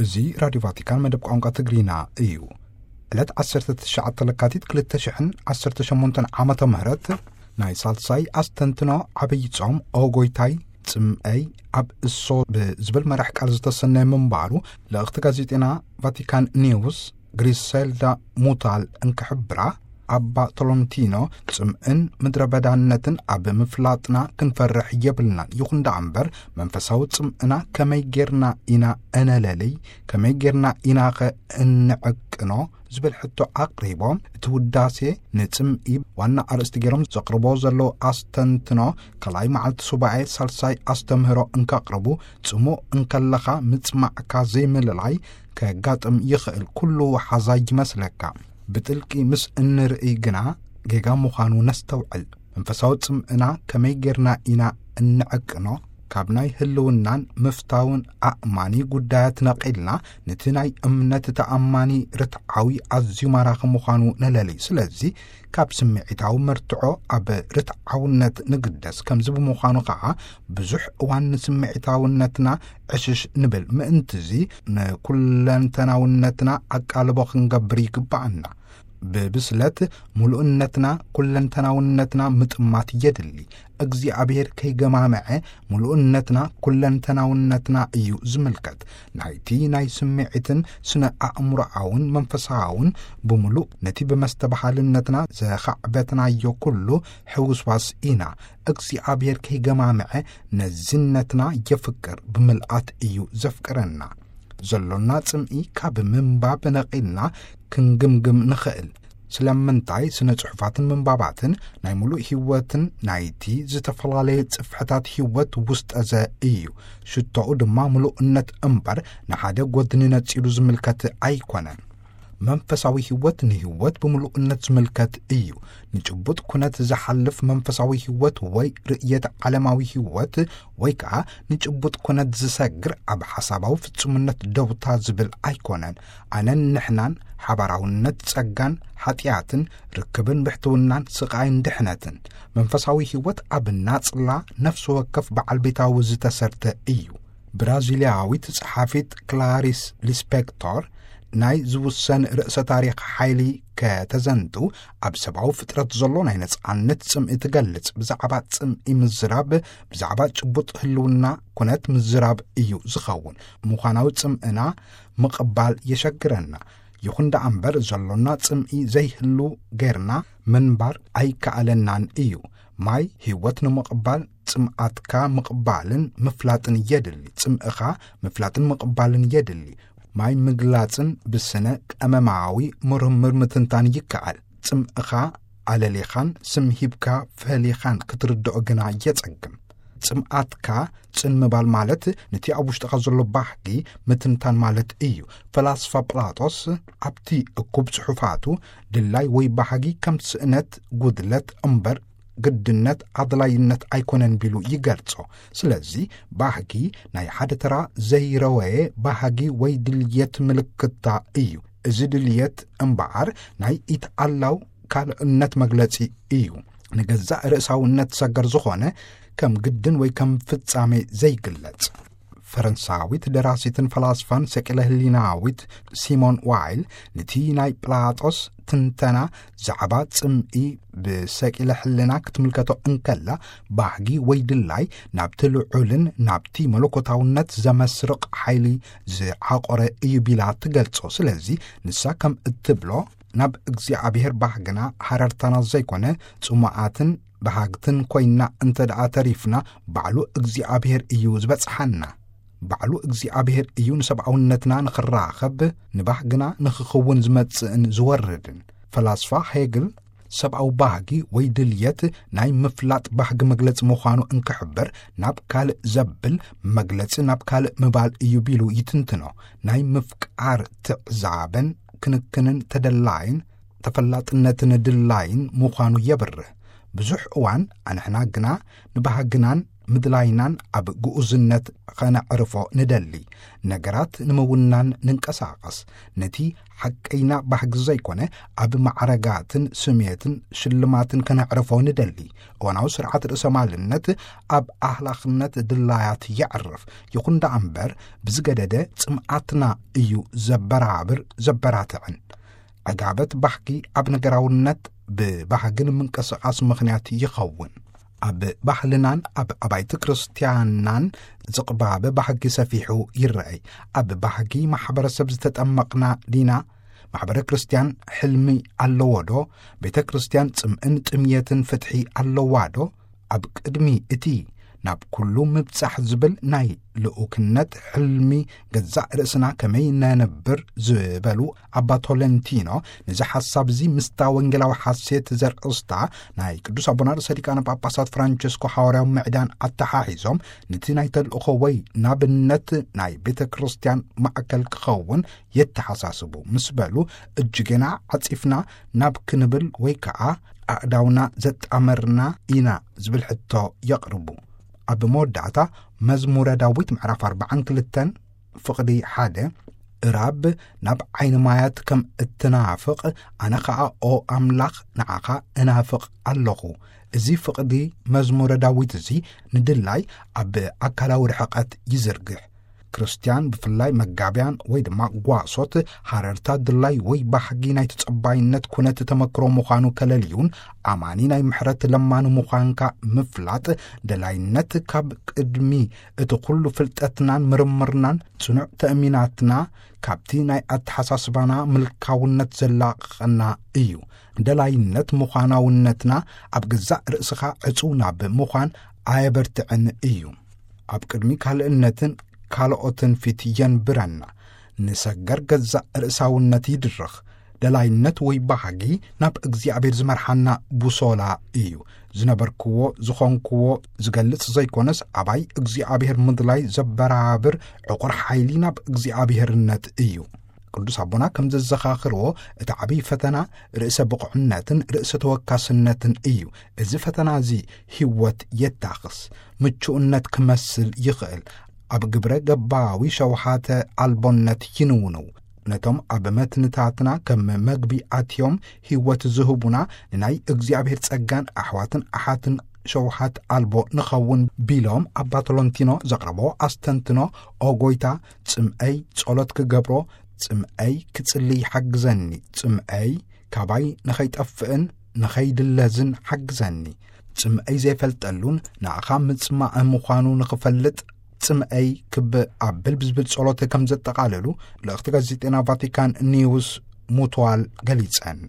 እዚ ራዲዮ ቫቲካን መደብ ቋንቋ ትግርኛ እዩ። ዕለት ዓሰርተ ትሽዓተ ለካቲት ክልተ ሽሕን ዓሰርተ ሸሞንተን ዓመተ ምህረት ናይ ሳልሳይ ኣስተንትኖ ዓብይ ጾም ኦጎይታይ ጽምአይ ኣብ እሶ ብዝብል መራሕ ቃል ዝተሰነየ ምንባሩ ልእኽቲ ጋዜጤና ቫቲካን ኒውስ ግሪሰልዳ ሙታል እንክሕብራ፣ ኣባ ቶሎንቲኖ ጽምእን ምድረ በዳነትን ኣብ ምፍላጥና ክንፈርሕ የብልናን። ይኹን ደኣ እምበር መንፈሳዊ ጽምእና ከመይ ጌርና ኢና እነለልይ፣ ከመይ ጌርና ኢናኸ እንዕቅኖ ዝብል ሕቶ ኣቕሪቦም፣ እቲ ውዳሴ ንጽምኢ ዋና ኣርእስቲ ገይሮም ዘቕርቦ ዘለዉ ኣስተንትኖ፣ ካልኣይ መዓልቲ ሱባኤ ሳልሳይ ኣስተምህሮ እንከቕርቡ፣ ጽሙእ እንከለኻ ምጽማዕካ ዘይምልላይ ከጋጥም ይኽእል። ኩሉ ሓዛይ ይመስለካ። ብጥልቂ ምስ እንርእይ ግና ጌጋ ምዃኑ ነስተውዕል። መንፈሳዊ ጽምእና ከመይ ጌርና ኢና እንዕቅኖ? ካብ ናይ ህልውናን ምፍታውን ኣእማኒ ጉዳያት ነቒልና፣ ነቲ ናይ እምነት ተኣማኒ ርትዓዊ ኣዝዩ ማራኺ ምዃኑ ነለሊ። ስለዚ ካብ ስምዒታዊ መርትዖ ኣብ ርትዓውነት ንግደስ። ከምዚ ብምዃኑ ኸዓ ብዙሕ እዋን ንስምዒታውነትና ዕሽሽ ንብል። ምእንትዚ ንኩለንተናውነትና ኣቃልቦ ክንገብር ይግብኣና። ብብስለት ምሉእነትና ኩለንተናውነትና ምጥማት የድሊ። እግዚኣብሔር ከይገማምዐ ምሉእነትና ኩለንተናውነትና እዩ ዝምልከት። ናይቲ ናይ ስምዒትን ስነ ኣእምሮኣውን መንፈሳውን ብምሉእ ነቲ ብመስተባሃልነትና ዘኻዕበትናዮ ኩሉ ሕውስዋስ ኢና። እግዚኣብሔር ከይገማምዐ ነዝነትና የፍቅር፣ ብምልኣት እዩ ዘፍቅረና። ዘሎና ጽምኢ ካብ ምንባብ ነቒልና ክንግምግም ንኽእል። ስለምንታይ ስነ ጽሑፋትን ምንባባትን ናይ ምሉእ ህይወትን ናይቲ ዝተፈላለየ ጽፍሕታት ህይወት ውስጠዘ እዩ። ሽቶኡ ድማ ምሉእነት እምበር ንሓደ ጎድኒ ነጺሉ ዝምልከት ኣይኮነን። መንፈሳዊ ህይወት ንህይወት ብምሉእነት ዝምልከት እዩ። ንጭቡጥ ኩነት ዝሓልፍ መንፈሳዊ ህይወት ወይ ርእየት ዓለማዊ ህይወት ወይ ከኣ ንጭቡጥ ኩነት ዝሰግር ኣብ ሓሳባዊ ፍጹምነት ደውታ ዝብል ኣይኮነን። ኣነን ንሕናን፣ ሓባራውነት ጸጋን ሓጢኣትን፣ ርክብን ብሕትውናን፣ ስቓይን ድሕነትን። መንፈሳዊ ህይወት ኣብ ናጽላ ነፍሲ ወከፍ በዓል ቤታዊ ዝተሰርተ እዩ። ብራዚልያዊት ጸሓፊት ክላሪስ ሊስፔክቶር ናይ ዝውሰን ርእሰ ታሪኽ ሓይሊ ከተዘንቱ ኣብ ሰብኣዊ ፍጥረት ዘሎ ናይ ነጻነት ጽምኢ ትገልጽ። ብዛዕባ ጽምኢ ምዝራብ፣ ብዛዕባ ጭቡጥ ህልውና ኩነት ምዝራብ እዩ ዝኸውን። ምዃናዊ ጽምእና ምቕባል የሸግረና። ይኹን ደኣ እምበር ዘሎና ጽምኢ ዘይህሉ ጌርና ምንባር ኣይከኣለናን እዩ። ማይ ህይወት ንምቕባል ጽምኣትካ ምቕባልን ምፍላጥን የድሊ። ጽምእኻ ምፍላጥን ምቕባልን የድሊ። ማይ ምግላጽን ብስነ ቀመማዊ ምርምር ምትንታን ይከኣል። ጽምእኻ ኣለሊኻን ስም ሂብካ ፈሊኻን ክትርድኦ ግና የጸግም። ጽምኣትካ ጽን ምባል ማለት ነቲ ኣብ ውሽጥኻ ዘሎ ባህጊ ምትንታን ማለት እዩ። ፈላስፋ ፕላጦስ ኣብቲ እኩብ ጽሑፋቱ ድላይ ወይ ባህጊ ከም ስእነት፣ ጉድለት እምበር ግድነት፣ ኣድላይነት ኣይኮነን ቢሉ ይገልጾ። ስለዚ ባህጊ ናይ ሓደ ተራ ዘይረወየ ባህጊ ወይ ድልየት ምልክታ እዩ። እዚ ድልየት እምበኣር ናይ ኢትኣላው ካልእነት መግለጺ እዩ። ንገዛእ ርእሳውነት ሰገር ዝኾነ ከም ግድን ወይ ከም ፍጻሜ ዘይግለጽ። ፈረንሳዊት ደራሲትን ፈላስፋን ሰቂለ ህሊናዊት ሲሞን ዋይል ነቲ ናይ ፕላጦስ ትንተና ዛዕባ ጽምኢ ብሰቂለ ሕልና ክትምልከቶ እንከላ፣ ባህጊ ወይ ድላይ ናብቲ ልዑልን ናብቲ መለኮታውነት ዘመስርቕ ሓይሊ ዝዓቖረ እዩ ቢላ ትገልጾ። ስለዚ ንሳ ከም እትብሎ፣ ናብ እግዚኣብሔር ባህግና ሃረርታና ዘይኮነ፣ ጽሙኣትን በሃግትን ኮይና እንተ ደኣ ተሪፍና፣ ባዕሉ እግዚኣብሔር እዩ ዝበጽሓና። ባዕሉ እግዚኣብሔር እዩ ንሰብኣውነትና ንኽራኸብ፣ ንባህግና ንኽኽውን ዝመጽእን ዝወርድን። ፈላስፋ ሄግል፣ ሰብኣዊ ባህጊ ወይ ድልየት ናይ ምፍላጥ ባህጊ መግለጺ ምዃኑ እንክሕብር፣ ናብ ካልእ ዘብል መግለጺ ናብ ካልእ ምባል እዩ ቢሉ ይትንትኖ። ናይ ምፍቃር ትዕዛበን ክንክንን ተደላይን ተፈላጥነትን ድላይን ምዃኑ የብርህ። ብዙሕ እዋን ኣንሕና ግና ንባህግናን ምድላይናን ኣብ ግኡዝነት ኸነዕርፎ ንደሊ። ነገራት ንምውናን ንንቀሳቐስ። ነቲ ሓቀይና ባህጊ ዘይኮነ ኣብ ማዕረጋትን ስሜትን ሽልማትን ከነዕርፎ ንደሊ። እዋናዊ ስርዓት ርእሰ ማልነት ኣብ ኣህላኽነት ድላያት የዕርፍ። ይኹን ደኣ እምበር ብዝገደደ ጽምኣትና እዩ ዘበራብር ዘበራትዕን። ዕጋበት ባህጊ ኣብ ነገራውነት ብባህግን ምንቅስቓስ ምኽንያት ይኸውን። ኣብ ባህልናን ኣብ ኣባይቲ ክርስትያንናን ዝቕባበ ባህጊ ሰፊሑ ይረኣይ። ኣብ ባህጊ ማሕበረሰብ ዝተጠመቕና ዲና? ማሕበረ ክርስትያን ሕልሚ ኣለዎ ዶ? ቤተ ክርስትያን ጽምእን ጥምየትን ፍትሒ ኣለዋ ዶ? ኣብ ቅድሚ እቲ ናብ ኩሉ ምብጻሕ ዝብል ናይ ልኡክነት ሕልሚ ገዛእ ርእስና ከመይ ነንብር ዝበሉ ኣባ ቶለንቲኖ፣ ነዚ ሓሳብ እዚ ምስታ ወንጌላዊ ሓሴት ዘርእስታ ናይ ቅዱስ ኣቦና ርእሰ ሊቃነ ጳጳሳት ፍራንቸስኮ ሓዋርያዊ ምዕዳን ኣተሓሒዞም፣ ነቲ ናይ ተልእኾ ወይ ናብነት ናይ ቤተ ክርስትያን ማእከል ክኸውን የተሓሳስቡ ምስ በሉ፣ እጅጌና ዓጺፍና ናብ ክንብል ወይ ከኣ ኣእዳውና ዘጣመርና ኢና ዝብል ሕቶ የቕርቡ። ኣብ መወዳእታ መዝሙረ ዳዊት ምዕራፍ ኣርባዓን ክልተን ፍቕዲ ሓደ፣ እራብ ናብ ዓይኒ ማያት ከም እትናፍቕ፣ ኣነ ኸኣ ኦ ኣምላኽ ንዓኻ እናፍቕ ኣለኹ። እዚ ፍቕዲ መዝሙረ ዳዊት እዚ ንድላይ ኣብ ኣካላዊ ርሕቐት ይዝርግሕ። ክርስትያን ብፍላይ መጋብያን ወይ ድማ ጓሶት ሃረርታ ድላይ ወይ ባህጊ ናይ ተጸባይነት ኩነት ተመክሮ ምዃኑ ከለልዩን ኣማኒ ናይ ምሕረት ለማኒ ምዃንካ ምፍላጥ ደላይነት ካብ ቅድሚ እቲ ኩሉ ፍልጠትናን ምርምርናን ጽኑዕ ተእሚናትና ካብቲ ናይ ኣተሓሳስባና ምልካውነት ዘላቕቐና እዩ። ደላይነት ምዃናውነትና ኣብ ገዛእ ርእስኻ ዕጹው ናብ ምዃን ኣየበርትዕን እዩ። ኣብ ቅድሚ ካልእነትን ካልኦትን ፊት የንብረና። ንሰገር ገዛእ ርእሳውነት ይድርኽ። ደላይነት ወይ ባህጊ ናብ እግዚኣብሔር ዝመርሓና ቡሶላ እዩ። ዝነበርክዎ ዝኾንክዎ ዝገልጽ ዘይኮነስ ኣባይ እግዚኣብሔር ምድላይ ዘበራብር ዕቑር ሓይሊ ናብ እግዚኣብሔርነት እዩ። ቅዱስ ኣቦና ከም ዘዘኻኽርዎ እቲ ዓብዪ ፈተና ርእሰ ብቑዕነትን ርእሰ ተወካስነትን እዩ። እዚ ፈተና እዚ ህይወት የታኽስ፣ ምቹእነት ክመስል ይኽእል። ኣብ ግብረ ገባዊ ሸውሃተ ኣልቦነት ይንውንው። ነቶም ኣብ መትንታትና ከም መግቢ ኣትዮም ህይወት ዝህቡና ንናይ እግዚኣብሔር ጸጋን ኣሕዋትን ኣሓትን ሸውሃት ኣልቦ ንኸውን ቢሎም ኣባ ቶሎንቲኖ ዘቕረቦ ኣስተንትኖ፣ ኦ ጎይታ ጽምኣይ ጸሎት ክገብሮ፣ ጽምኣይ ክጽልይ ሓግዘኒ፣ ጽምኣይ ካባይ ንኸይጠፍእን ንኸይድለዝን ሓግዘኒ። ጽምኣይ ዘይፈልጠሉን ንኣኻ ምጽማእ ምዃኑ ንኽፈልጥ ጽምኣይ ክብ ኣብል ብዝብል ጸሎት ከም ዘጠቓለሉ ልእኽቲ ጋዜጤና ቫቲካን ኒውስ ሙትዋል ገሊጸን።